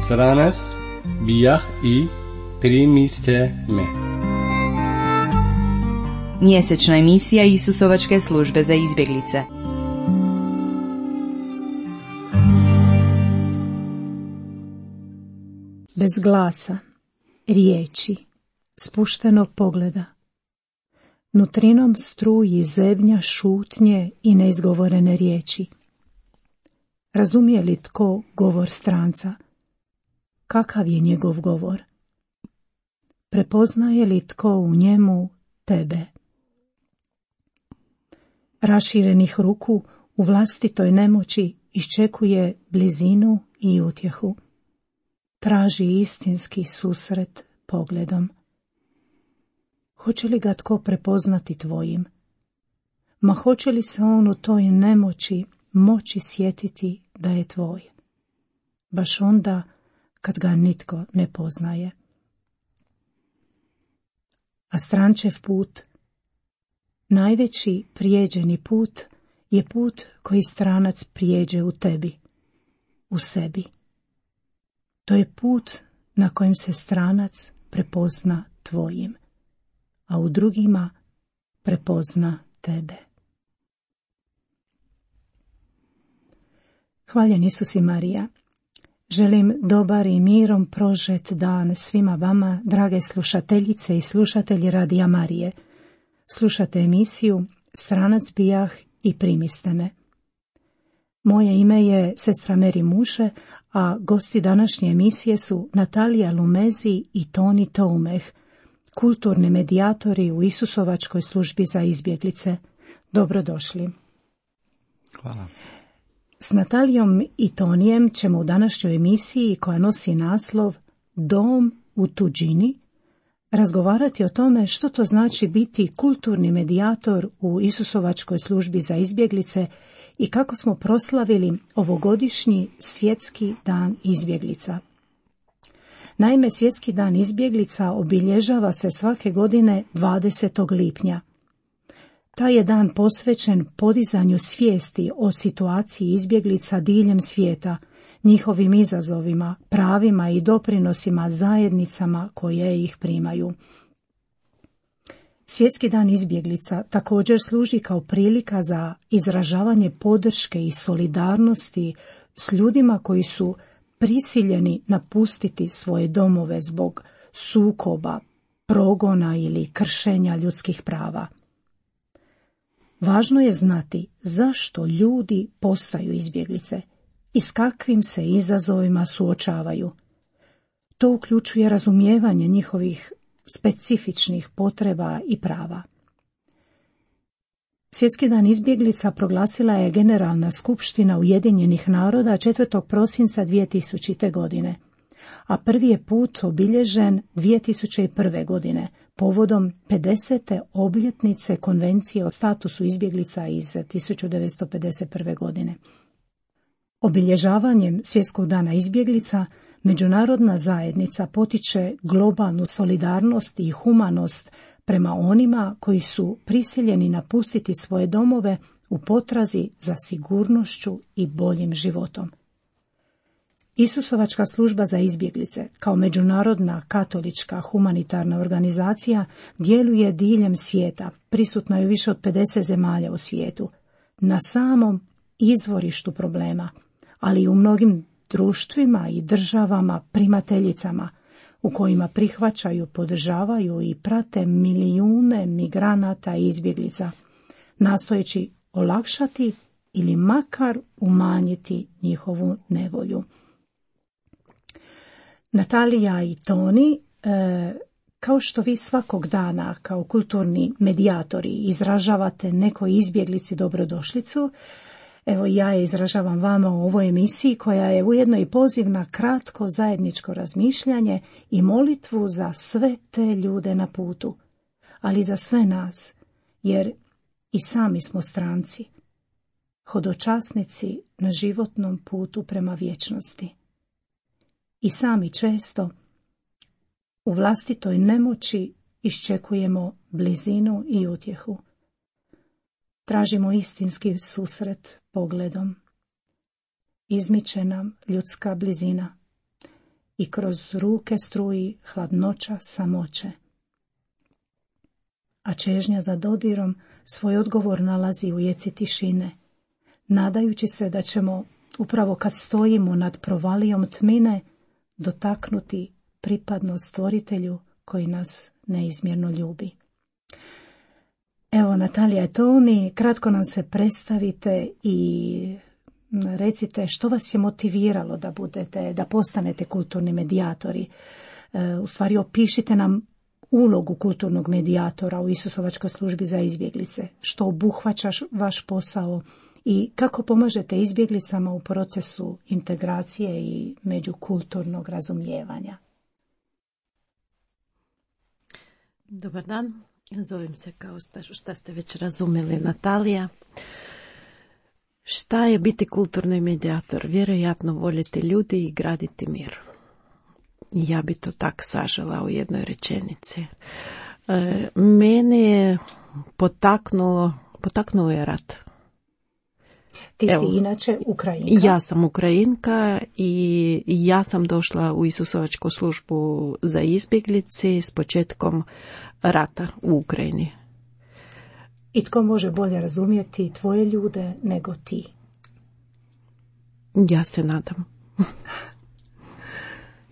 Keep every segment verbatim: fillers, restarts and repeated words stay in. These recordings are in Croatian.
Stranac bijah i primiste me. Mjesečna emisija Isusovačke službe za izbjeglice. Bez glasa, riječi, spuštenog pogleda. Nutrinom struji zebnja šutnje i neizgovorene riječi. Razumije li tko govor stranca? Kakav je njegov govor? Prepoznaje li tko u njemu tebe? Raširenih ruku u vlastitoj nemoći iščekuje blizinu i utjehu. Traži istinski susret pogledom. Hoće li ga tko prepoznati tvojim? Ma hoće li se on u toj nemoći moći sjetiti da je tvoj? Baš onda kad ga nitko ne poznaje. A strančev put, najveći prijeđeni put, je put koji stranac prijeđe u tebi, u sebi. To je put na kojem se stranac prepozna tvojim, a u drugima prepozna tebe. Hvaljen Isus i Marija. Želim dobar i mirom prožet dan svima vama, drage slušateljice i slušatelji Radija Marije. Slušate emisiju Stranac bijah i primiste me. Moje ime je sestra Meri Muše, a gosti današnje emisije su Natalija Lumezi i Toni Toumeh, kulturni medijatori u Isusovačkoj službi za izbjeglice. Dobrodošli. Hvala. S Natalijom i Tonijem ćemo u današnjoj emisiji, koja nosi naslov Dom u tuđini, razgovarati o tome što to znači biti kulturni medijator u Isusovačkoj službi za izbjeglice i kako smo proslavili ovogodišnji Svjetski dan izbjeglica. Naime, Svjetski dan izbjeglica obilježava se svake godine dvadesetog lipnja. Taj je dan posvećen podizanju svijesti o situaciji izbjeglica diljem svijeta, njihovim izazovima, pravima i doprinosima zajednicama koje ih primaju. Svjetski dan izbjeglica također služi kao prilika za izražavanje podrške i solidarnosti s ljudima koji su prisiljeni napustiti svoje domove zbog sukoba, progona ili kršenja ljudskih prava. Važno je znati zašto ljudi postaju izbjeglice i s kakvim se izazovima suočavaju. To uključuje razumijevanje njihovih specifičnih potreba i prava. Svjetski dan izbjeglica proglasila je Generalna skupština Ujedinjenih naroda četvrtog prosinca dvije tisućite. godine, a prvi je put obilježen dvije tisuće prve. godine, povodom pedesete obljetnice Konvencije o statusu izbjeglica iz tisuću devetsto pedeset prve. godine. Obilježavanjem Svjetskog dana izbjeglica međunarodna zajednica potiče globalnu solidarnost i humanost prema onima koji su prisiljeni napustiti svoje domove u potrazi za sigurnošću i boljim životom. Isusovačka služba za izbjeglice, kao međunarodna katolička humanitarna organizacija, djeluje diljem svijeta, prisutna je u više od pedeset zemalja u svijetu, na samom izvorištu problema, ali i u mnogim društvima i državama primateljicama, u kojima prihvaćaju, podržavaju i prate milijune migranata i izbjeglica, nastojeći olakšati ili makar umanjiti njihovu nevolju. Natalija i Toni, e, kao što vi svakog dana kao kulturni medijatori izražavate nekoj izbjeglici dobrodošlicu, evo ja je izražavam vama u ovoj emisiji, koja je ujedno i poziv na kratko zajedničko razmišljanje i molitvu za sve te ljude na putu, ali za sve nas, jer i sami smo stranci, hodočasnici na životnom putu prema vječnosti. I sami često u vlastitoj nemoći iščekujemo blizinu i utjehu. Tražimo istinski susret pogledom. Izmiče nam ljudska blizina i kroz ruke struji hladnoća samoće. A čežnja za dodirom svoj odgovor nalazi u jeci tišine, nadajući se da ćemo, upravo kad stojimo nad provalijom tmine, dotaknuti pripadnost stvoritelju koji nas neizmjerno ljubi. Evo, Natalija i Toni, kratko nam se predstavite i recite što vas je motiviralo da budete, da postanete kulturni medijatori. E, u stvari opišite nam ulogu kulturnog medijatora u Isusovačkoj službi za izbjeglice, što obuhvaća vaš posao i kako pomažete izbjeglicama u procesu integracije i međukulturnog razumijevanja. Dobar dan, zovem se, kao šta ste već razumjeli, Natalija. Šta je biti kulturni medijator? Vjerojatno voljeti ljudi i graditi mir. Ja bi to tak sažela u jednoj rečenici. E, mene je potaknulo, potaknuo je rat. Ti Evo, si inače Ukrajinka. Ja sam Ukrajinka i ja sam došla u Isusovačku službu za izbjeglice s početkom rata u Ukrajini. I tko može bolje razumjeti tvoje ljude nego ti? Ja se nadam.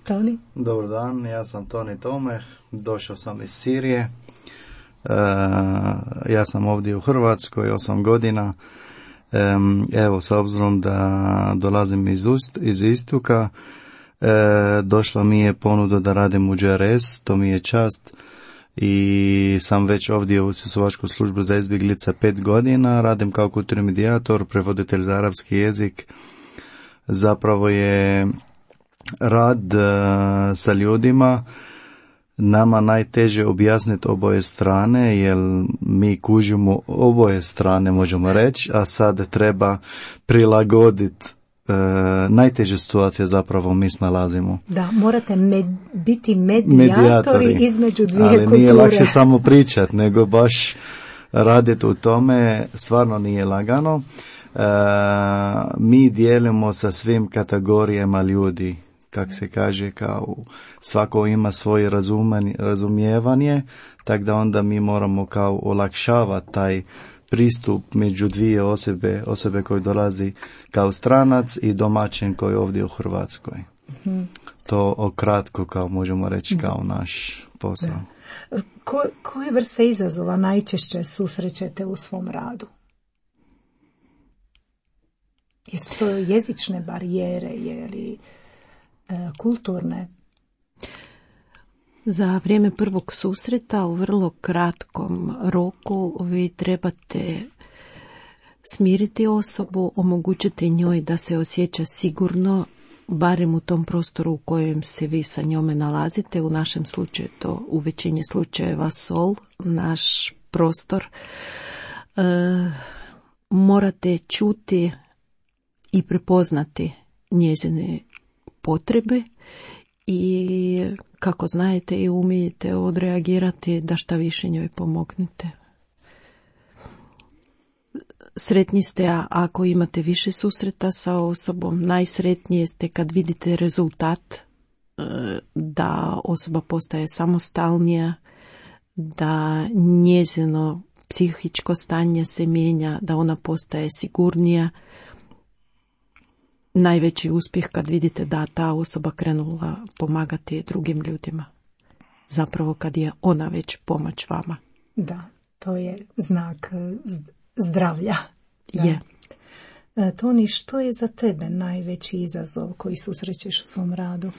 Toni? Dobar dan, ja sam Toni Tomeh, došao sam iz Sirije. E, ja sam ovdje u Hrvatskoj osam godina. E, evo, s obzirom da dolazim iz, ust, iz istoka, e, došla mi je ponuda da radim u G R S, to mi je čast. I sam već ovdje u Isusovačkoj službi za izbjeglice pet godina, radim kao kulturni medijator, prevoditelj za arapski jezik. Zapravo je rad uh, sa ljudima nama najteže objasniti oboje strane, jer mi kužimo oboje strane, možemo reći, a sad treba prilagoditi. Uh, najteže situacije zapravo mi snalazimo. Da, morate med, biti medijatori, medijatori između dvije ali kulture. Ali nije lakše samo pričati, nego baš raditi u tome, stvarno nije lagano. Uh, mi dijelimo sa svim kategorijama ljudi, kak se kaže, kao svako ima svoje razumijevanje, tako da onda mi moramo kao olakšavati taj pristup među dvije osobe, osobe koji dolazi kao stranac i domaćin koji je ovdje u Hrvatskoj. Mm-hmm. To okratko, kao možemo reći, kao naš posao. Da. Ko, koje vrste izazova najčešće susrećete u svom radu? Jesu to jezične barijere ili e, kulturne? Za vrijeme prvog susreta u vrlo kratkom roku vi trebate smiriti osobu, omogućiti njoj da se osjeća sigurno, barem u tom prostoru u kojem se vi sa njome nalazite. U našem slučaju to u većini slučajeva sol, naš prostor. E, morate čuti i prepoznati njezine potrebe i kako znajete i umijete odreagirati da šta više njoj pomognete. Sretni ste ako imate više susreta sa osobom, najsretnije ste kad vidite rezultat, da osoba postaje samostalnija, da njezino psihičko stanje se mijenja, da ona postaje sigurnija. Najveći uspjeh kad vidite da ta osoba krenula pomagati drugim ljudima. Zapravo kad je ona već pomoć vama. Da, to je znak zdravlja. Da. Je. Toni, što je za tebe najveći izazov koji susrećeš u svom radu?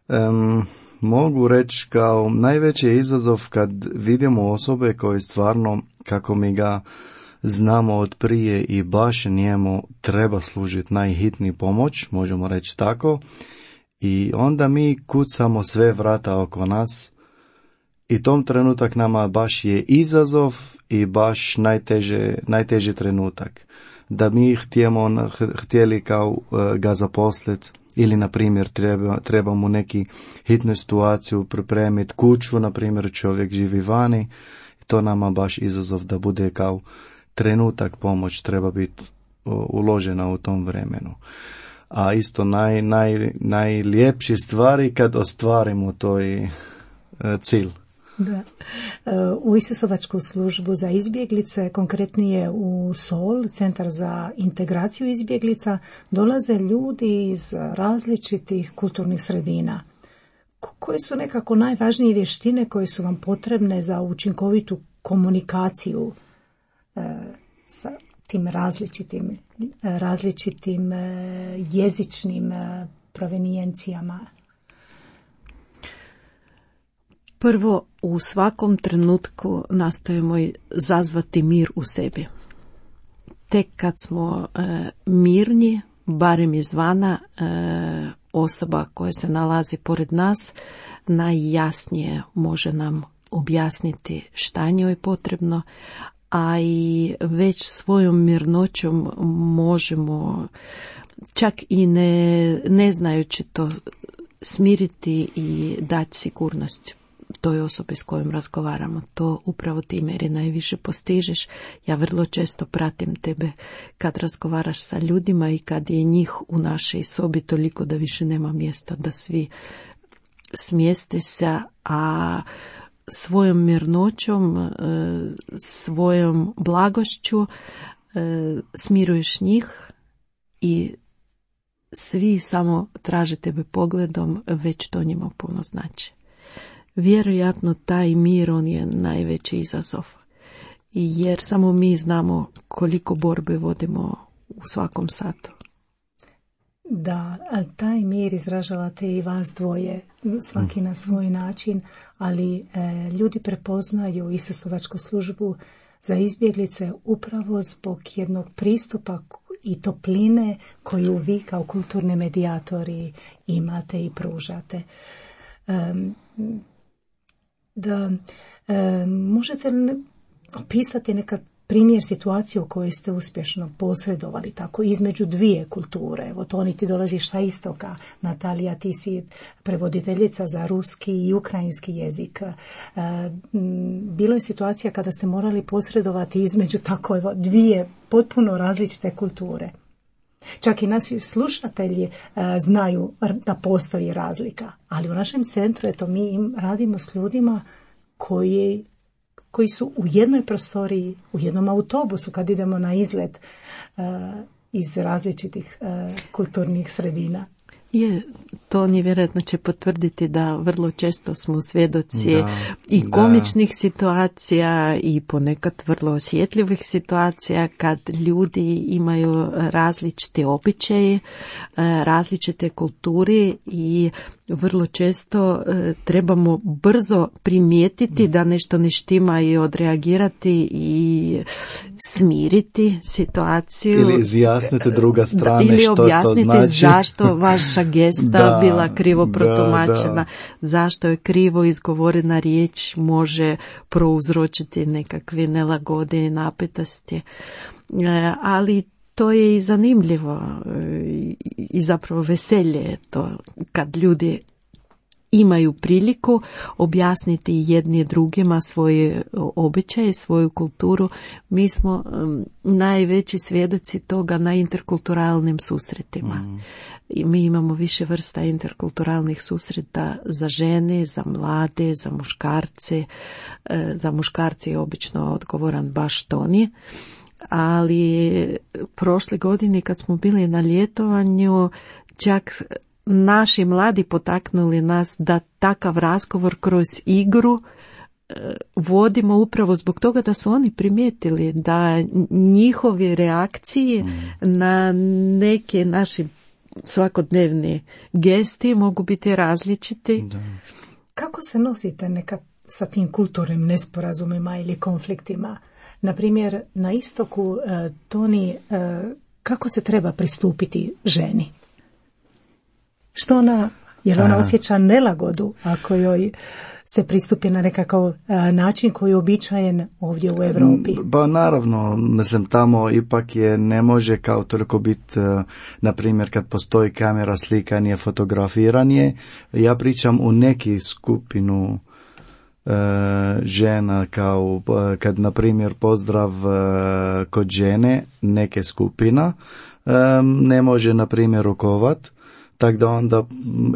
Um, mogu reći kao najveći je izazov kad vidimo osobe koje stvarno, kako mi ga znamo od prije i baš njemu treba služiti najhitniji pomoć, možemo reći tako, i onda mi kucamo sve vrata oko nas i tom trenutak nama baš je izazov i baš najteže, najteži trenutak. Da mi htjemo, htjeli kao ga zaposliti ili na primjer treba, treba mu neki hitnu situaciju pripremiti kuću, na primjer čovjek živi vani, to nama baš izazov da bude kao trenutak pomoć treba biti uložena u tom vremenu. A isto naj, naj, najljepši stvari kad ostvarimo toj uh, cilj. Da. U Isusovačku službu za izbjeglice, konkretnije u Sol, Centar za integraciju izbjeglica, dolaze ljudi iz različitih kulturnih sredina. Koje su nekako najvažnije vještine koje su vam potrebne za učinkovitu komunikaciju e, sa tim različitim, različitim e, jezičnim e, provenijencijama? Prvo, u svakom trenutku nastojimo zazvati mir u sebi. Tek kad smo e, mirni, barem izvana, e, osoba koja se nalazi pored nas najjasnije može nam objasniti šta njoj je potrebno, a i već svojom mirnoćom možemo, čak i ne, ne znajući to, smiriti i dati sigurnost toj osobi s kojom razgovaramo. To upravo ti, Meri, najviše postižeš. Ja vrlo često pratim tebe kad razgovaraš sa ljudima i kad je njih u našoj sobi toliko da više nema mjesta da svi smjeste se, a svojom mirnoćom, svojom blagošću smiruješ njih i svi samo traže tebe pogledom, već to njima puno znači. Vjerojatno taj mir, on je najveći izazov, jer samo mi znamo koliko borbe vodimo u svakom satu. Da, taj mir izražavate i vas dvoje, svaki na svoj način, ali e, ljudi prepoznaju Isusovačku službu za izbjeglice upravo zbog jednog pristupa i topline koju vi kao kulturni medijatori imate i pružate. E, da e, možete opisati neka primjer situacije u kojoj ste uspješno posredovali tako između dvije kulture. Evo, Toni, ti dolaziš sa istoka, Natalija, ti si prevoditeljica za ruski i ukrajinski jezik. E, bilo je situacija kada ste morali posredovati između tako evo, dvije potpuno različite kulture. Čak i naši slušatelji e, znaju da postoji razlika, ali u našem centru eto, mi im radimo s ljudima koji koji su u jednoj prostoriji, u jednom autobusu kad idemo na izlet uh, iz različitih uh, kulturnih sredina. Je, to vjerojatno će potvrditi da vrlo često smo svjedoci da, i da. komičnih situacija i ponekad vrlo osjetljivih situacija kad ljudi imaju različite običaje, različite kulture i vrlo često e, trebamo brzo primijetiti da nešto ne štima i odreagirati i smiriti situaciju. Ili izjasniti druga strana da, ili što to znači. Ili objasniti zašto vaša gesta da, bila krivo protumačena, da, da. zašto je krivo izgovorena riječ može prouzročiti nekakve nelagode i napetosti. E, ali to je i zanimljivo i zapravo veselje je to kad ljudi imaju priliku objasniti jedni drugima svoje običaje, svoju kulturu. Mi smo um, najveći svjedoci toga na interkulturalnim susretima. Mm. I mi imamo više vrsta interkulturalnih susreta za žene, za mlade, za muškarce. E, za muškarce je obično odgovoran baš Toni. Ali prošle godine kad smo bili na ljetovanju, čak naši mladi potaknuli nas da takav razgovor kroz igru vodimo upravo zbog toga da su oni primijetili da njihove reakcije mm. na neke naše svakodnevne gesti mogu biti različiti. Da. Kako se nosite nekad sa tim kulturnim nesporazumima ili konfliktima? Na primjer, na istoku, e, Toni, e, kako se treba pristupiti ženi? Što ona Jer ona osjeća nelagodu ako joj se pristupi na nekakav a, način koji je uobičajen ovdje u Europi. Pa naravno, mislim, tamo ipak je, ne može kao toliko biti, na primjer, kad postoji kamera, slikanje, fotografiranje. Ja pričam u neki skupinu e, žena, kao kad, na primjer, pozdrav e, kod žene, neke skupina, e, ne može, na primjer, rukovat. Tako da onda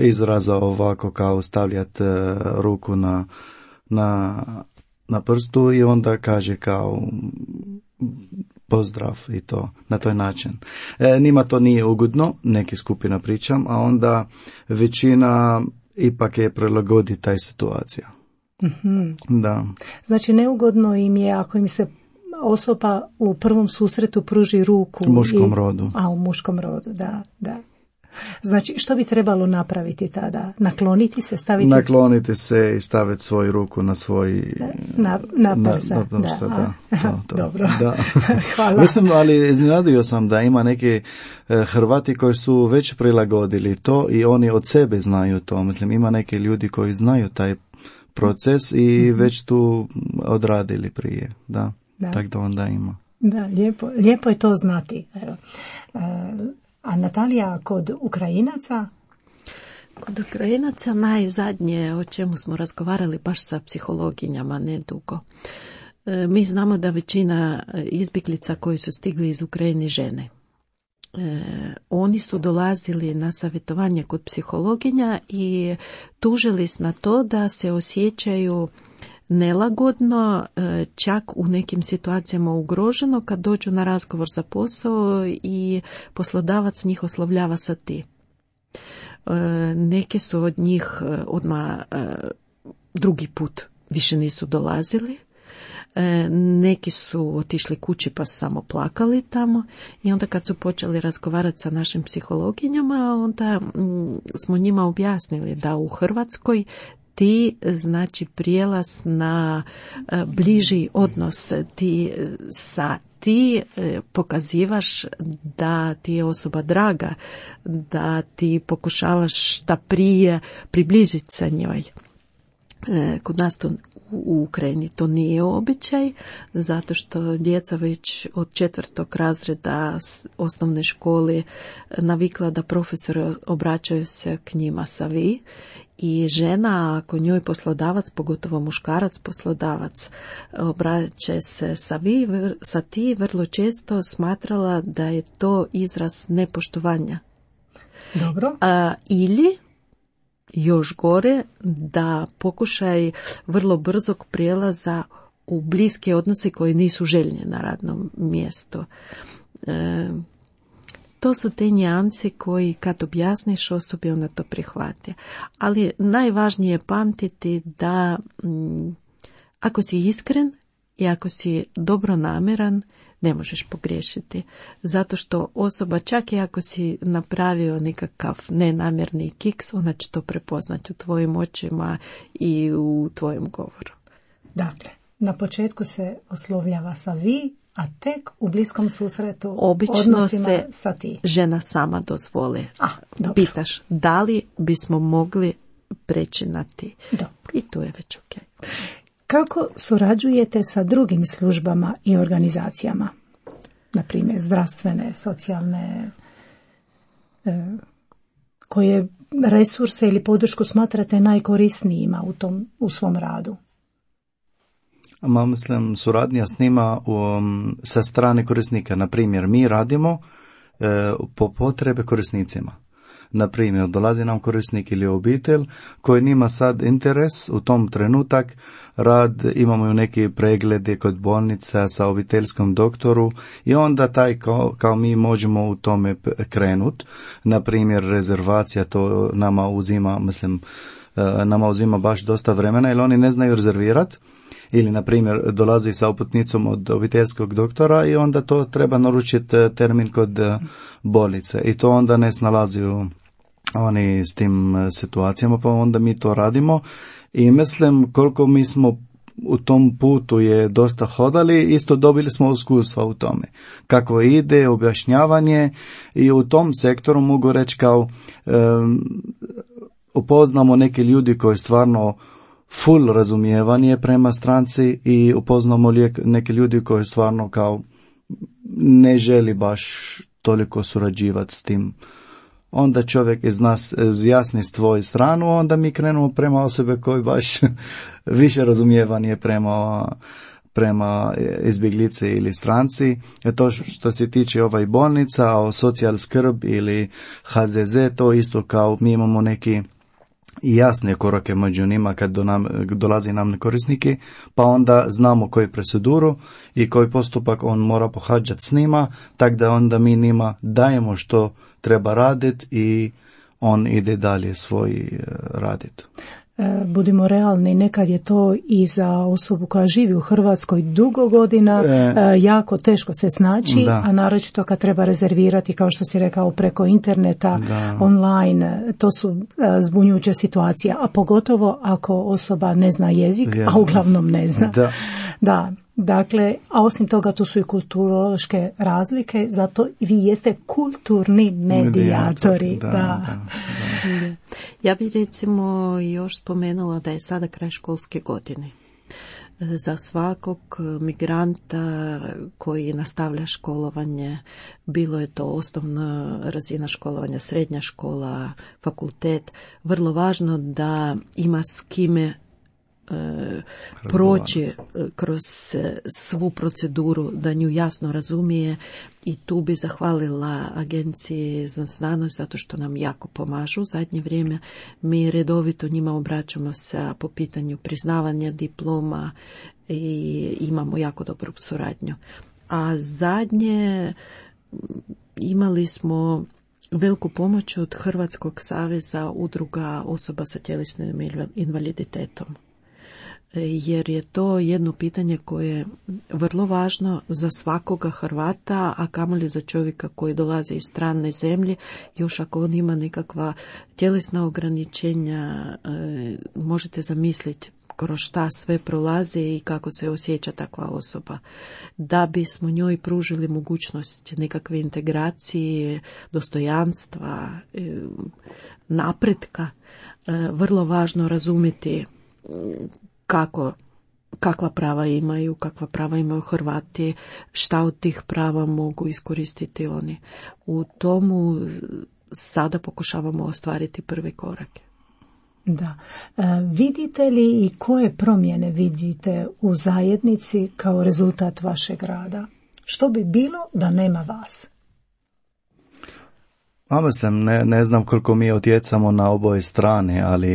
izraza ovako kao stavljati e, ruku na, na, na prstu i onda kaže kao pozdrav i to na toj način. E, njima to nije ugodno, neki skupina pričam, a onda većina ipak je prilagodi taj situacija. Mm-hmm. Da. Znači neugodno im je ako im se osoba u prvom susretu pruži ruku. U muškom i, rodu. A u muškom rodu, da, da. Znači, što bi trebalo napraviti tada? Nakloniti se, staviti... Nakloniti se i staviti svoju ruku na svoj... Na, na prsa, na, na prsa, da. da. To, to. Dobro, da. Hvala. Mislim, ali iznenadio sam da ima neki eh, Hrvati koji su već prilagodili to i oni od sebe znaju to. Mislim, ima neki ljudi koji znaju taj proces i mm-hmm. već tu odradili prije. Da, da. Tako da onda ima. Da, lijepo, lijepo je to znati. Evo. E, A Natalija, kod Ukrajinaca? Kod Ukrajinaca najzadnje o čemu smo razgovarali baš sa psihologinjama nedugo. E, mi znamo da većina izbjeglica koji su stigli iz Ukrajine žene. E, oni su dolazili na savjetovanje kod psihologinja i tužili s na to da se osjećaju nelagodno, čak u nekim situacijama ugroženo kad dođu na razgovor za posao i poslodavac njih oslovljava sa ti. Neki su od njih odmah drugi put više nisu dolazili. Neki su otišli kući pa su samo plakali tamo i onda kad su počeli razgovarati sa našim psihologinjama, onda smo njima objasnili da u Hrvatskoj ti znači prijelaz na bliži odnos, ti sa ti pokazivaš da ti je osoba draga, da ti pokušavaš šta prije približiti sa njoj. Kod nas to u Ukrajini to nije običaj, zato što djeca već od četvrtog razreda osnovne škole navikla da profesori obraćaju se k njima sa vi. I žena, ako njoj poslodavac, pogotovo muškarac poslodavac, obraća se sa vi, sa ti, vrlo često smatrala da je to izraz nepoštovanja. Dobro. A, ili, još gore, da pokušaj vrlo brzog prijelaza u bliske odnose koji nisu željni na radnom mjestu. E, To su te nijanse koji kad objasniš osobi ona to prihvati. Ali najvažnije je pamtiti da m, ako si iskren i ako si dobronamjeran ne možeš pogriješiti. Zato što osoba čak i ako si napravio nekakav nenamjerni kiks, ona će to prepoznati u tvojim očima i u tvojem govoru. Dakle, na početku se oslovljava sa vi, a tek u bliskom susretu obično se sa ti. Žena sama dozvoli. A, dobro. Pitaš da li bismo mogli preći na ti. Dobro. I tu je već ok. Kako surađujete sa drugim službama i organizacijama? Na primjer, zdravstvene, socijalne, e, koje resurse ili podršku smatrate najkorisnijima u, tom, u svom radu? Ma, mislim, suradnja s njima um, sa strane korisnika. Na primjer, mi radimo e, po potrebe korisnicima. Na primjer, dolazi nam korisnik ili obitelj koji nima sad interes u tom trenutak rad, imamo neki preglede kod bolnica sa obiteljskom doktoru i onda taj kao, kao mi možemo u tome krenut. Na primjer, rezervacija to nama uzima, mislim, e, nama uzima baš dosta vremena jer oni ne znaju rezervirati. Ili, na primjer, dolazi sa uputnicom od obiteljskog doktora i onda to treba naručiti termin kod bolnice. I to onda ne snalazi oni s tim situacijama, pa onda mi to radimo. I mislim, koliko mi smo u tom putu je dosta hodali, isto dobili smo iskustva u tome. Kako ide, objašnjavanje i u tom sektoru mogu reći kao... Um, upoznamo neki ljudi koji stvarno full razumijevanje prema stranci i upoznamo lijek, neki ljudi koji stvarno kao ne želi baš toliko surađivati s tim. Onda čovjek iz nas izjasni svoju stranu, onda mi krenemo prema osobe koji baš više razumijevanje prema prema izbjeglice ili stranci. To što se tiče ovaj bolnica, o socijal skrb ili H Z Z, to isto kao mi imamo neki jasne korake među njima kad do nam, dolazi nam korisniki, pa onda znamo koju proceduru i koji postupak on mora pohađati s njima, tako da onda mi njima dajemo što treba raditi i on ide dalje svoj raditi. Budimo realni, nekad je to i za osobu koja živi u Hrvatskoj dugo godina e, jako teško se snaći, da. A naročito kad treba rezervirati, kao što si rekao, preko interneta, da. Online, to su zbunjujuće situacije, a pogotovo ako osoba ne zna jezik, ja. A uglavnom ne zna. Da. Da. Dakle, a osim toga tu su i kulturološke razlike, zato vi jeste kulturni medijatori. Da, da, da, da. Ja bih recimo još spomenula da je sada kraj školske godine. Za svakog migranta koji nastavlja školovanje, bilo je to osnovna razina školovanja, srednja škola, fakultet, vrlo važno da ima s kime proći kroz svu proceduru, da nju jasno razumije, i tu bi zahvalila Agenciji za znanost zato što nam jako pomažu u zadnje vrijeme. Mi redovito njima obraćamo se po pitanju priznavanja diploma i imamo jako dobru suradnju. A zadnje imali smo veliku pomoć od Hrvatskog saveza udruga osoba sa tjelesnim invaliditetom, jer je to jedno pitanje koje je vrlo važno za svakoga Hrvata, a kamoli za čovjeka koji dolazi iz strane zemlje. Još ako on ima nekakva tjelesna ograničenja, možete zamisliti kroz šta sve prolazi i kako se osjeća takva osoba. Da bismo njoj pružili mogućnost nekakve integracije, dostojanstva, napretka, vrlo važno razumjeti kako, kakva prava imaju, kakva prava imaju Hrvati, šta od tih prava mogu iskoristiti oni. U tomu sada pokušavamo ostvariti prve korake. Da. E, vidite li i koje promjene vidite u zajednici kao rezultat vašeg rada? Što bi bilo da nema vas? A mislim, ne, ne znam koliko mi utjecamo na oboje strane, ali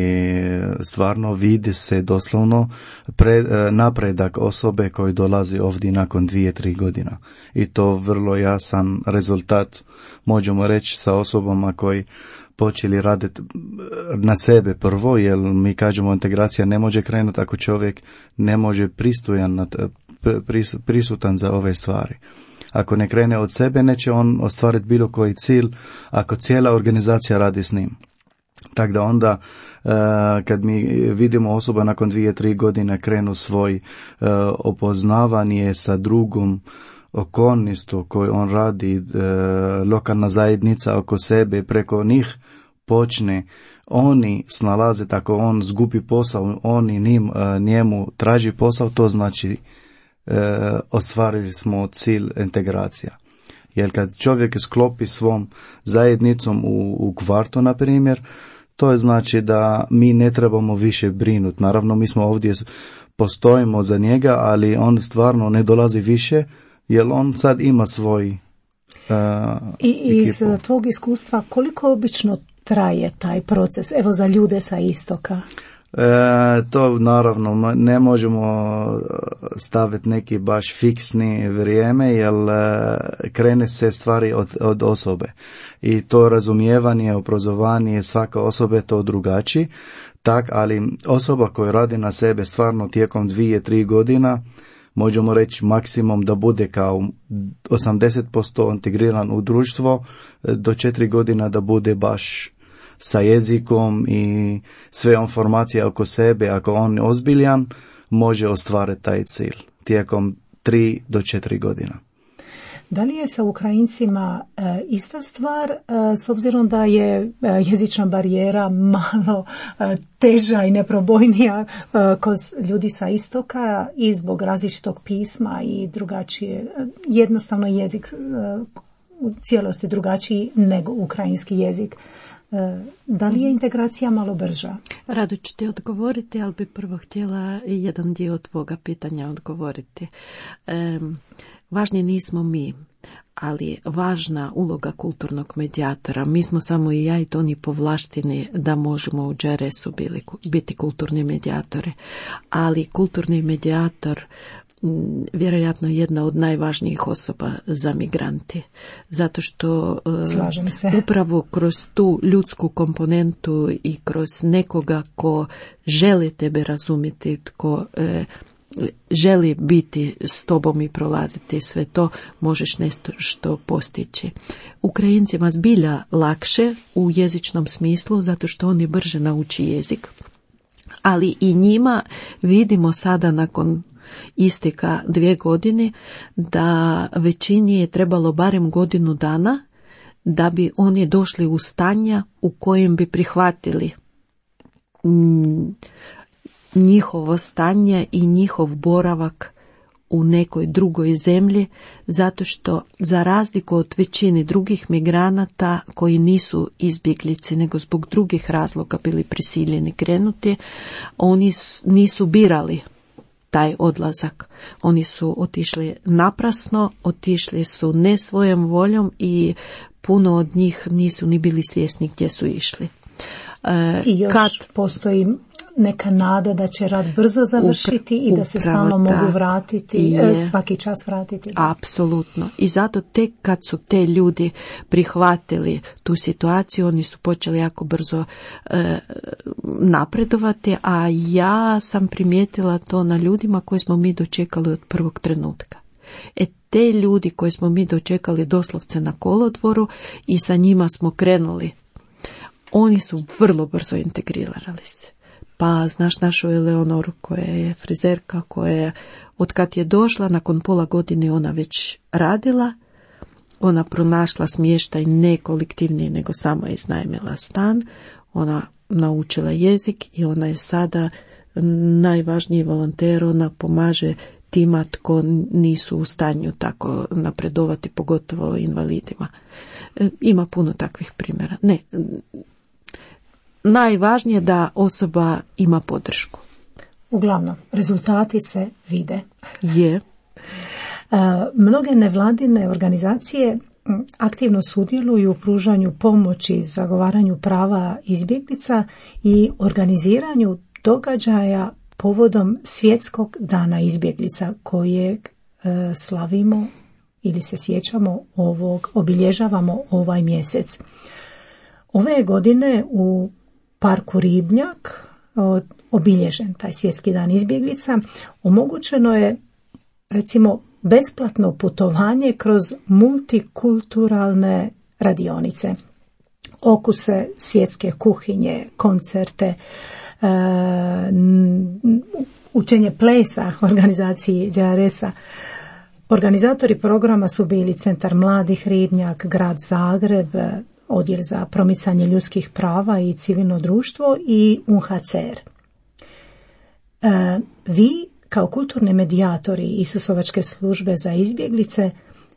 stvarno vidi se doslovno pre, napredak osobe koji dolazi ovdje nakon dvije, tri godina. I to vrlo jasan rezultat, možemo reći, sa osobama koji počeli raditi na sebe prvo, jer mi kažemo integracija ne može krenuti ako čovjek ne može pristojan, pris, prisutan za ove stvari. Ako ne krene od sebe, neće on ostvariti bilo koji cilj ako cijela organizacija radi s njim. Tako da onda uh, kad mi vidimo osoba nakon dvije, tri godine krenu svoj uh, opoznavanje sa drugom okolnošću koji on radi, uh, lokalna zajednica oko sebe, preko njih počne oni snalaze, tako on zgubi posao, oni njim, uh, njemu traži posao, to znači E, ostvarili smo cilj integracija. Jer kad čovjek sklopi svom zajednicom u, u kvartu, na primjer, to je znači da mi ne trebamo više brinuti. Naravno, mi smo ovdje, postojimo za njega, ali on stvarno ne dolazi više, jer on sad ima svoj uh, I iz ekipu. Tvog iskustva, koliko obično traje taj proces, evo za ljude sa istoka? E, to naravno ne možemo staviti neki baš fiksni vrijeme, jer krene se stvari od, od osobe i to razumijevanje, obrazovanje svaka osoba je to drugačiji, tak, ali osoba koja radi na sebe stvarno tijekom dvije, tri godina, možemo reći maksimum da bude kao osamdeset posto integriran u društvo, do četiri godina da bude baš sa jezikom i sve informacije oko sebe, ako on je ozbiljan, može ostvariti taj cilj tijekom tri do četiri godina. Da li je sa Ukrajincima e, ista stvar, e, s obzirom da je e, jezična barijera malo e, teža i neprobojnija e, kod ljudi sa istoka i zbog različitog pisma i drugačije, jednostavno jezik e, u cijelosti drugačiji nego ukrajinski jezik. E, da li je integracija malo brža? Rado ću ti odgovoriti, ali bi prvo htjela jedan dio tvoga pitanja odgovoriti. E, Važni nismo mi, ali važna uloga kulturnog medijatora. Mi smo samo i ja i Toni povlašteni da možemo u G R S-u biti kulturni medijatori. Ali kulturni medijator vjerojatno jedna od najvažnijih osoba za migranti. Zato što upravo kroz tu ljudsku komponentu i kroz nekoga ko želi tebe razumjeti, tko e, želi biti s tobom i prolaziti sve to, možeš nešto što postići. Ukrajincima zbilja lakše u jezičnom smislu, zato što oni brže nauči jezik, ali i njima vidimo sada nakon isteka dvije godine da većini je trebalo barem godinu dana da bi oni došli u stanja u kojem bi prihvatili mm, njihovo stanje i njihov boravak u nekoj drugoj zemlji, zato što za razliku od većine drugih migranata koji nisu izbjeglice nego zbog drugih razloga bili prisiljeni krenuti, oni nisu birali taj odlazak. Oni su otišli naprasno, otišli su ne svojom voljom i puno od njih nisu ni bili svjesni gdje su išli. E, I još kad postoji neka nada da će rat brzo završiti upra, i da se stalno mogu vratiti, je, svaki čas vratiti. Apsolutno. I zato tek kad su te ljudi prihvatili tu situaciju, oni su počeli jako brzo e, napredovati, a ja sam primijetila to na ljudima koje smo mi dočekali od prvog trenutka. E te ljudi koje smo mi dočekali doslovce na kolodvoru i sa njima smo krenuli, oni su vrlo brzo integrirali se. Pa znaš našu Eleonoru koja je frizerka, koja je, od kad je došla, nakon pola godine ona već radila, ona pronašla smještaj ne kolektivni, nego samo je iznajmila stan, ona naučila jezik i ona je sada najvažniji volonter, ona pomaže tima tko nisu u stanju tako napredovati, pogotovo invalidima. E, ima puno takvih primjera. Ne, najvažnije da osoba ima podršku. Uglavnom, rezultati se vide. Je. Mnoge nevladine organizacije aktivno sudjeluju u pružanju pomoći, zagovaranju prava izbjeglica i organiziranju događaja povodom Svjetskog dana izbjeglica kojeg slavimo ili se sjećamo ovog, obilježavamo ovaj mjesec. Ove godine u Parku Ribnjak obilježen taj Svjetski dan izbjeglica, omogućeno je recimo besplatno putovanje kroz multikulturalne radionice, okuse svjetske kuhinje, koncerte, učenje plesa organizaciji G R S-a. Organizatori programa su bili Centar mladih Ribnjak, Grad Zagreb, Odjel za promicanje ljudskih prava i civilno društvo i U N H C R. E, vi kao kulturni medijatori Isusovačke službe za izbjeglice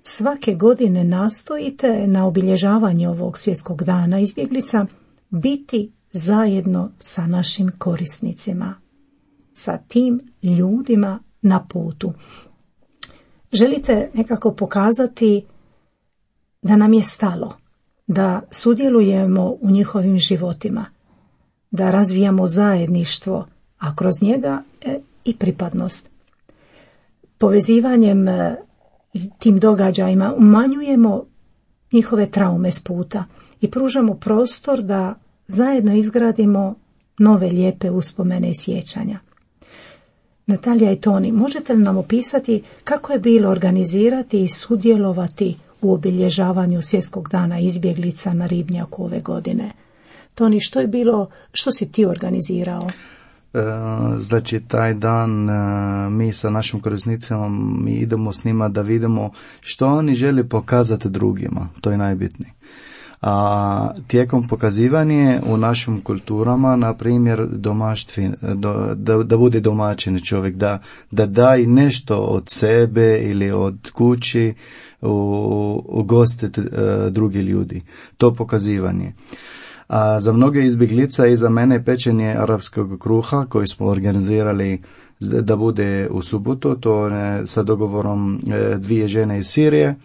svake godine nastojite na obilježavanje ovog Svjetskog dana izbjeglica biti zajedno sa našim korisnicima, sa tim ljudima na putu. Želite nekako pokazati da nam je stalo, da sudjelujemo u njihovim životima, da razvijamo zajedništvo, a kroz njega e, i pripadnost. Povezivanjem e, tim događajima umanjujemo njihove traume s puta i pružamo prostor da zajedno izgradimo nove lijepe uspomene i sjećanja. Natalija i Toni, možete li nam opisati kako je bilo organizirati i sudjelovati u obilježavanju Svjetskog dana izbjeglica na Ribnjaku ove godine? Toni, što je bilo, što si ti organizirao? Znači taj dan mi sa našim korisnicima mi idemo s njima da vidimo što oni žele pokazati drugima, to je najbitnije. A tijekom pokazivanja u našim kulturama, na primjer, domaštvi, da, da bude domaćin čovjek, da, da daj nešto od sebe ili od kući u, ugostiti uh, drugi ljudi. To pokazivanje. A za mnoge izbjeglica i za mene pečenje arapskog kruha koji smo organizirali da bude u subotu, to je sa dogovorom dvije žene iz Sirije,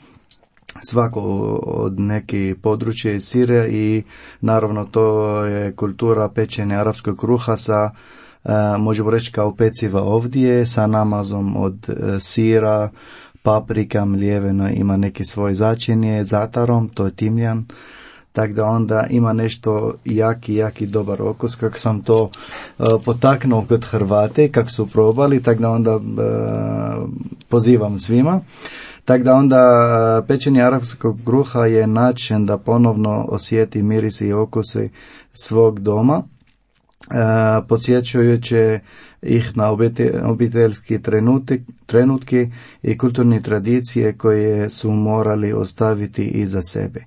svako od neke područje iz Sirije i naravno to je kultura pečenja arapskog kruha sa, možemo reći kao peciva ovdje, sa namazom od sira, paprika, mljeveno, ima neki svoj začinje, zatarom, to je timljan. Tako da onda ima nešto jaki, jaki dobar okus, kako sam to uh, potaknuo kod Hrvate, kako su probali, tako da onda uh, pozivam svima. Tako da onda pečenje arapskog kruha je način da ponovno osjeti miris i okuse svog doma, uh, podsjećajući ih na obiteljski trenutek, trenutke i kulturne tradicije koje su morali ostaviti iza sebe.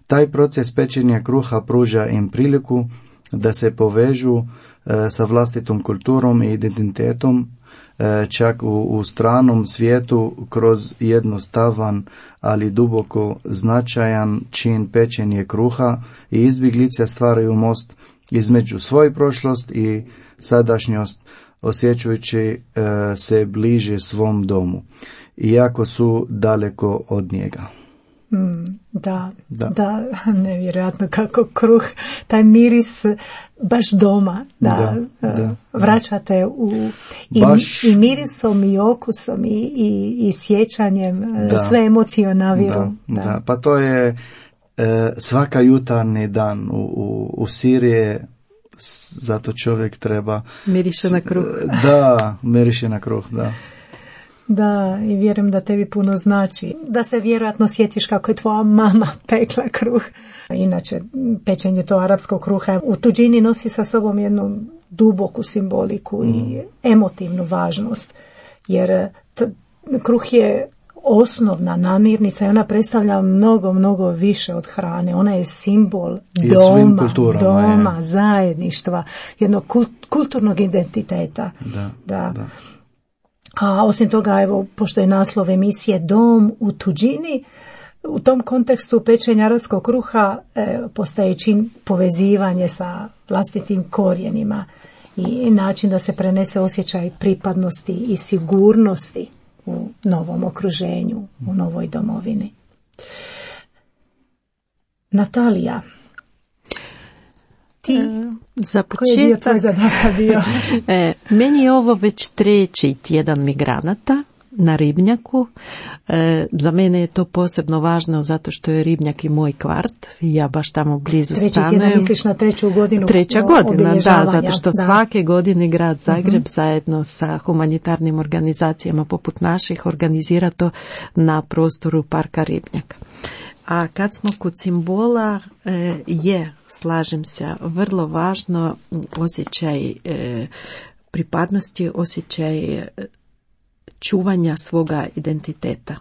Taj proces pečenja kruha pruža im priliku da se povežu e, sa vlastitom kulturom i identitetom, e, čak u, u stranom svijetu kroz jednostavan, ali duboko značajan čin pečenje kruha i izbjeglice stvaraju most između svoje prošlost i sadašnjost, osjećajući e, se bliže svom domu, iako su daleko od njega. Mm, da, da, da, nevjerojatno kako kruh, taj miris baš doma, da, da, da. vraćate u, i, baš, i mirisom i okusom i, i, i sjećanjem, da, sve emocije naviru. Da, da. Da, pa to je e, svaka jutarnji dan u, u, u Siriji. Zato čovjek treba... Miriše na kruh. Da, miriše na kruh, da. Da, i vjerujem da tebi puno znači. Da se vjerojatno sjetiš kako je tvoja mama pekla kruh. Inače, pečenje to arapskog kruha u tuđini nosi sa sobom jednu duboku simboliku mm. i emotivnu važnost. Jer t- kruh je osnovna namirnica i ona predstavlja mnogo, mnogo više od hrane. Ona je simbol I doma, doma, je. zajedništva, jednog kult, kulturnog identiteta. Da, da. da. A osim toga, evo, pošto je naslov emisije Dom u tuđini, u tom kontekstu pečenja arapskog kruha e, postaje čin povezivanje sa vlastitim korijenima i način da se prenese osjećaj pripadnosti i sigurnosti u novom okruženju, u novoj domovini. Natalija, ti, e, za početak, koji je dio tvoj zadatak bio? e, meni je ovo već treći tjedan migranata na Ribnjaku. E, za mene je to posebno važno zato što je Ribnjak i moj kvart. Ja baš tamo blizu Treći stanujem. Treći tjedan misliš na treću godinu? Treća godina, da, zato što da. svake godine grad Zagreb uh-huh. zajedno sa humanitarnim organizacijama poput naših organizira to na prostoru parka Ribnjak. A kad smo kod simbola, e, je, slažem se, vrlo važno osjećaj e, pripadnosti, osjećaj e, čuvanja svoga identiteta.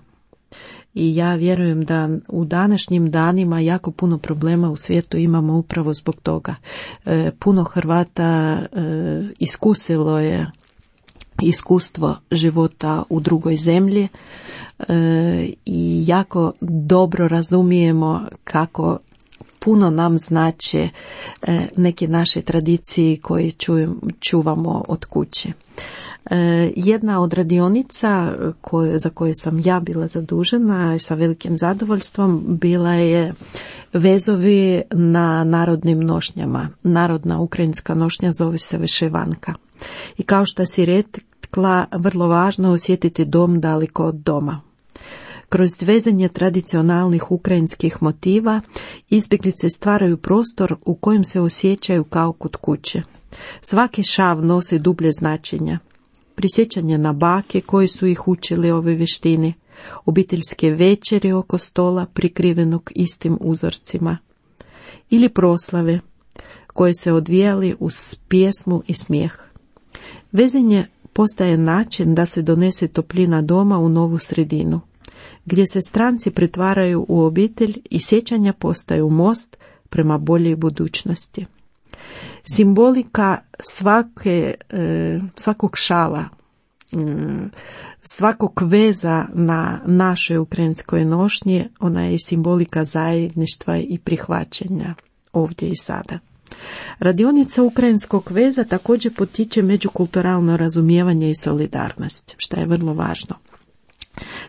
I ja vjerujem da u današnjim danima jako puno problema u svijetu imamo upravo zbog toga. E, puno Hrvata e, iskusilo je iskustvo života u drugoj zemlji e, i jako dobro razumijemo kako puno nam znače e, neke naše tradicije koje čujem, čuvamo od kuće. E, jedna od radionica koje, za koje sam ja bila zadužena sa velikim zadovoljstvom bila je vezovi na narodnim nošnjama. Narodna ukrajinska nošnja zove se Veševanka. I kao što si rekla, vrlo važno osjetiti dom daleko od doma. Kroz vezanje tradicionalnih ukrajinskih motiva izbjeglice stvaraju prostor u kojem se osjećaju kao kod kuće. Svaki šav nosi dublje značenja. Prisjećanje na bake koji su ih učili ove vještine, obiteljske večeri oko stola prikrivenog istim uzorcima ili proslave koje se odvijali uz pjesmu i smijeh. Vezanje postaje način da se donese toplina doma u novu sredinu, gdje se stranci pretvaraju u obitelj i sjećanja postaju most prema boljoj budućnosti. Simbolika svake, svakog šala, svakog veza na našoj ukrajinskoj nošnji, ona je simbolika zajedništva i prihvaćanja ovdje i sada. Radionica ukrajinskog veza također potiče međukulturalno razumijevanje i solidarnost, što je vrlo važno.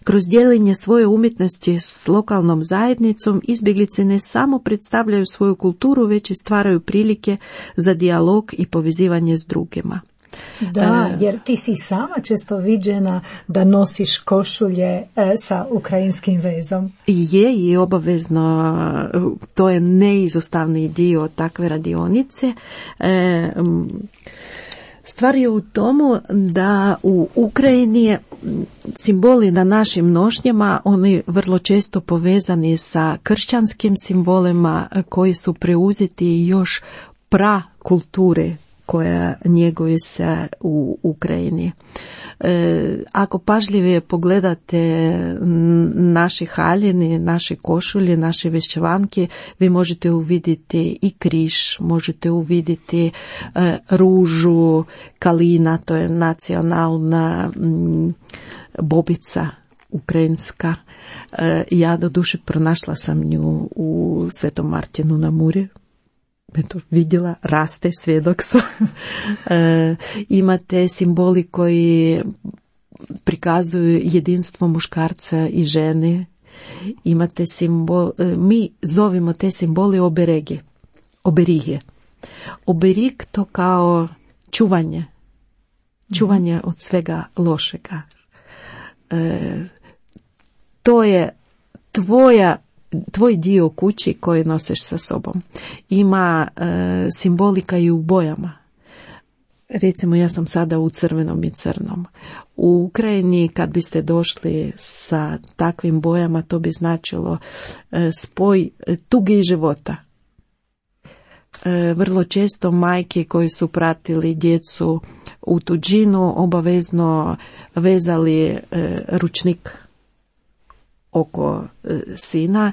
Kroz dijeljenje svoje umjetnosti s lokalnom zajednicom izbjeglice ne samo predstavljaju svoju kulturu, već i stvaraju prilike za dijalog i povezivanje s drugima. Da, jer ti si sama često viđena da nosiš košulje e, sa ukrajinskim vezom. Je i obavezno, to je neizostavni dio takve radionice. E, Stvar je u tomu da u Ukrajini simboli na našim nošnjama, oni vrlo često povezani sa kršćanskim simbolima koji su preuzeti još pra kulture koja njeguje se u Ukrajini. E, ako pažljivije pogledate naše haljine, naše košulje, naše vešćevanke, vi možete uvidjeti i križ, možete uvidjeti e, ružu, kalina, to je nacionalna m, bobica ukrajinska. E, ja do duše pronašla sam nju u Svetom Martinu na Muri. Eto, vidjela, raste, svjedok sam. e, imate simboli koji prikazuju jedinstvo muškarca i žene. Imate simbol, e, mi zovimo te simboli oberege, oberige. Oberig to kao čuvanje, čuvanje od svega lošega. E, to je tvoja tvoj dio kući koji nosiš sa sobom. Ima e, simbolika i u bojama. Recimo, ja sam sada u crvenom i crnom. U Ukrajini kad biste došli sa takvim bojama, to bi značilo e, spoj tuge i života. E, vrlo često majke koji su pratili djecu u tuđinu obavezno vezali e, ručnik oko e, sina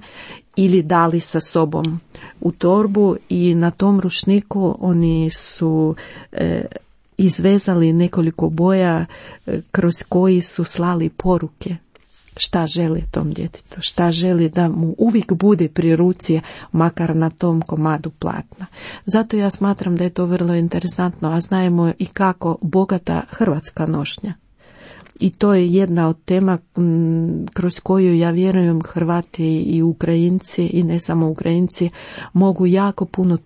ili dali sa sobom u torbu i na tom ručniku oni su e, izvezali nekoliko boja e, kroz koji su slali poruke šta želi tom djetetu, šta želi da mu uvijek bude pri ruci, makar na tom komadu platna. Zato ja smatram da je to vrlo interesantno, a znajemo i kako bogata hrvatska nošnja. I to je jedna od tema m, kroz koju ja vjerujem Hrvati i Ukrajinci i ne samo Ukrajinci mogu jako puno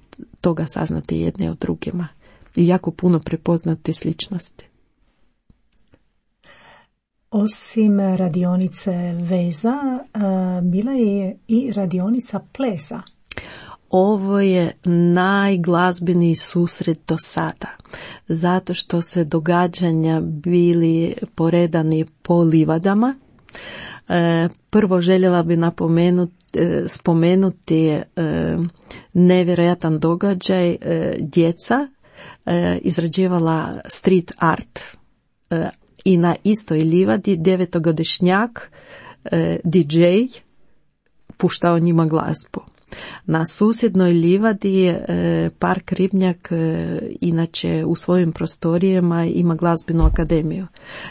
toga saznati jedne od drugima i jako puno prepoznati sličnosti. Osim radionice veza, bila je i radionica plesa. Ovo je najglazbeniji susret do sada, zato što se događanja bili poredani po livadama. E, prvo željela bi napomenuti, e, spomenuti e, nevjerojatan događaj. E, djeca e, izrađivala street art e, i na istoj livadi devetogodišnjak e, D J puštao njima glazbu. Na susjednoj livadi e, Park Ribnjak e, inače u svojim prostorijama ima glazbenu akademiju.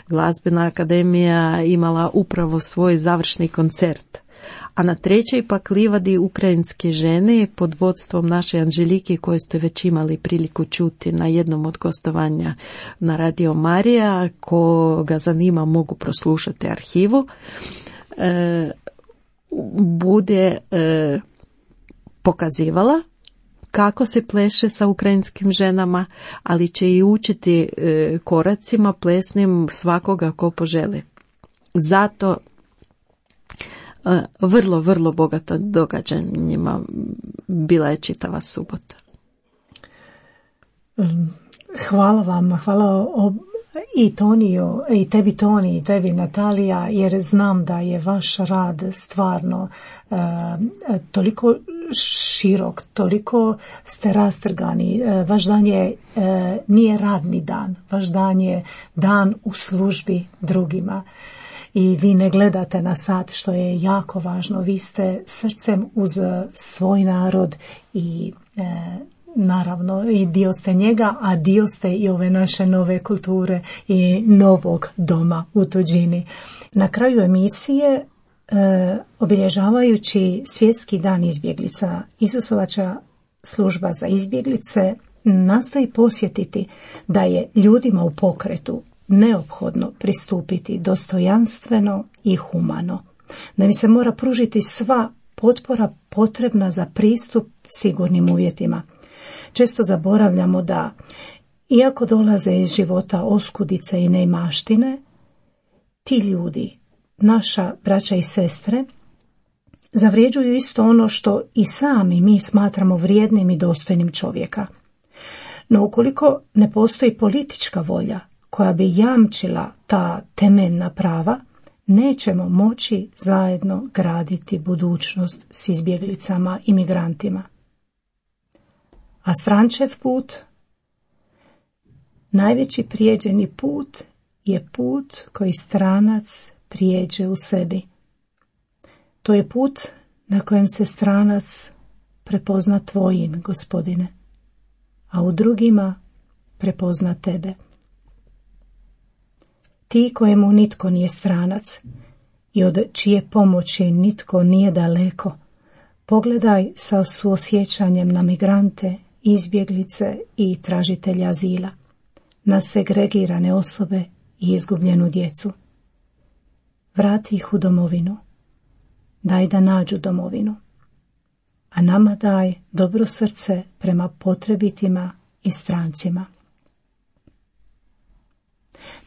Glazbena akademija imala upravo svoj završni koncert. A na trećoj pak livadi ukrajinske žene pod vodstvom naše Anželike, koje ste već imali priliku čuti na jednom od gostovanja na Radio Marija, ko ga zanima mogu proslušati arhivu, e, bude e, pokazivala kako se pleše sa ukrajinskim ženama, ali će i učiti e, koracima plesnim svakoga ko poželi. Zato e, vrlo, vrlo bogato događanjima bila je čitava subota. Hvala vam, hvala ob... i Toniju, i tebi Toni, i tebi Natalija, jer znam da je vaš rad stvarno uh, toliko širok, toliko ste rastrgani. Vaš dan je, nije radni dan, vaš dan je dan u službi drugima. I vi ne gledate na sat, što je jako važno. Vi ste srcem uz svoj narod i e, naravno i dio ste njega, a dio ste i ove naše nove kulture i novog doma u tuđini. Na kraju emisije, e, obilježavajući Svjetski dan izbjeglica, Isusovača služba za izbjeglice nastoji posjetiti da je ljudima u pokretu neophodno pristupiti dostojanstveno i humano, da im se mora pružiti sva potpora potrebna za pristup sigurnim uvjetima. Često zaboravljamo da, iako dolaze iz života oskudice i neimaštine, ti ljudi, naša braća i sestre, zavređuju isto ono što i sami mi smatramo vrijednim i dostojnim čovjeka. No ukoliko ne postoji politička volja koja bi jamčila ta temeljna prava, nećemo moći zajedno graditi budućnost s izbjeglicama i migrantima. A strančev put, najveći prijeđeni put, je put koji stranac prijeđe u sebi. To je put na kojem se stranac prepozna tvojim, Gospodine, a u drugima prepozna tebe. Ti kojemu nitko nije stranac i od čije pomoći nitko nije daleko, pogledaj sa suosjećanjem na migrante, izbjeglice i tražitelja azila, na segregirane osobe i izgubljenu djecu. Vrati ih u domovinu, daj da nađu domovinu, a nama daj dobro srce prema potrebitima i strancima.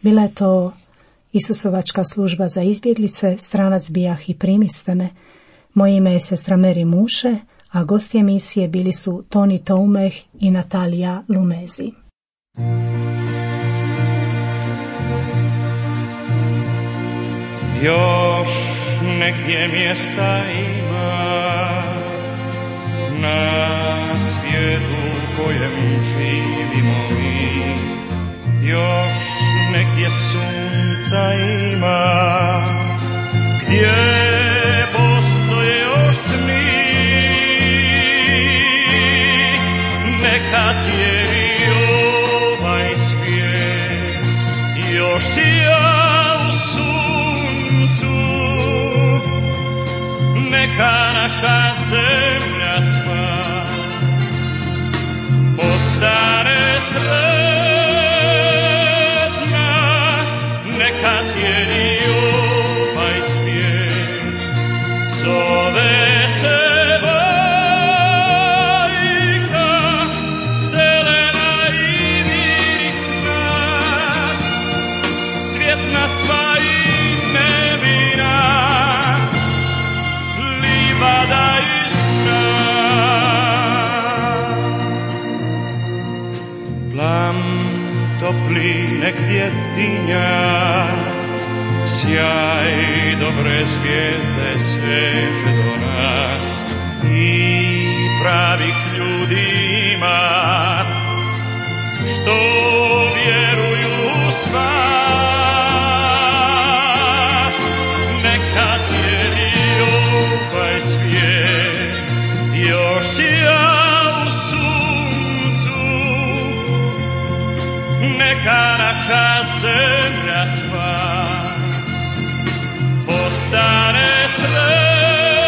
Bila je to Isusovačka služba za izbjeglice, stranac bijah i primiste me. Moje ime je sestra Meri Muše, a gosti emisije bili su Toni Toumeh i Natalija Lumezi. Još negdje mjesta ima na svijetu kojem živimo mi, još negdje sunca ima, gdje postoje još sni. Neka cijeli ovaj svijet još sija u suncu, neka naša zemlja sva postane sretna. Neka tijeli ovaj svijet zove se bajka, zelena i mirisna, cvjetna sva i nevina, livada i sna. Plam topli negdje tinja, sjaj dobre zvijezde sveže do nas i pravih ljudi ima, što vjeruju u spas. Neka tijeli ovaj svijet još sija u suncu, neka naša zemlja sva postane sretna.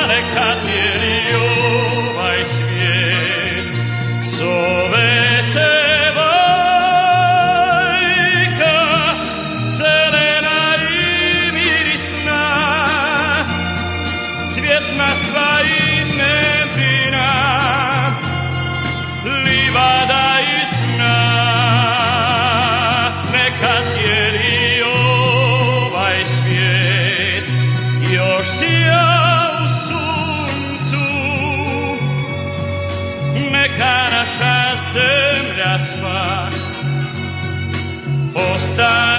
Neka tijeli ovaj svijet zove se bajka, zelena i mirisna, cvjetna sva i nevina, livada i sna. Neka cijeli ovaj svijet još sija u suncu, neka naša zemlja sva postane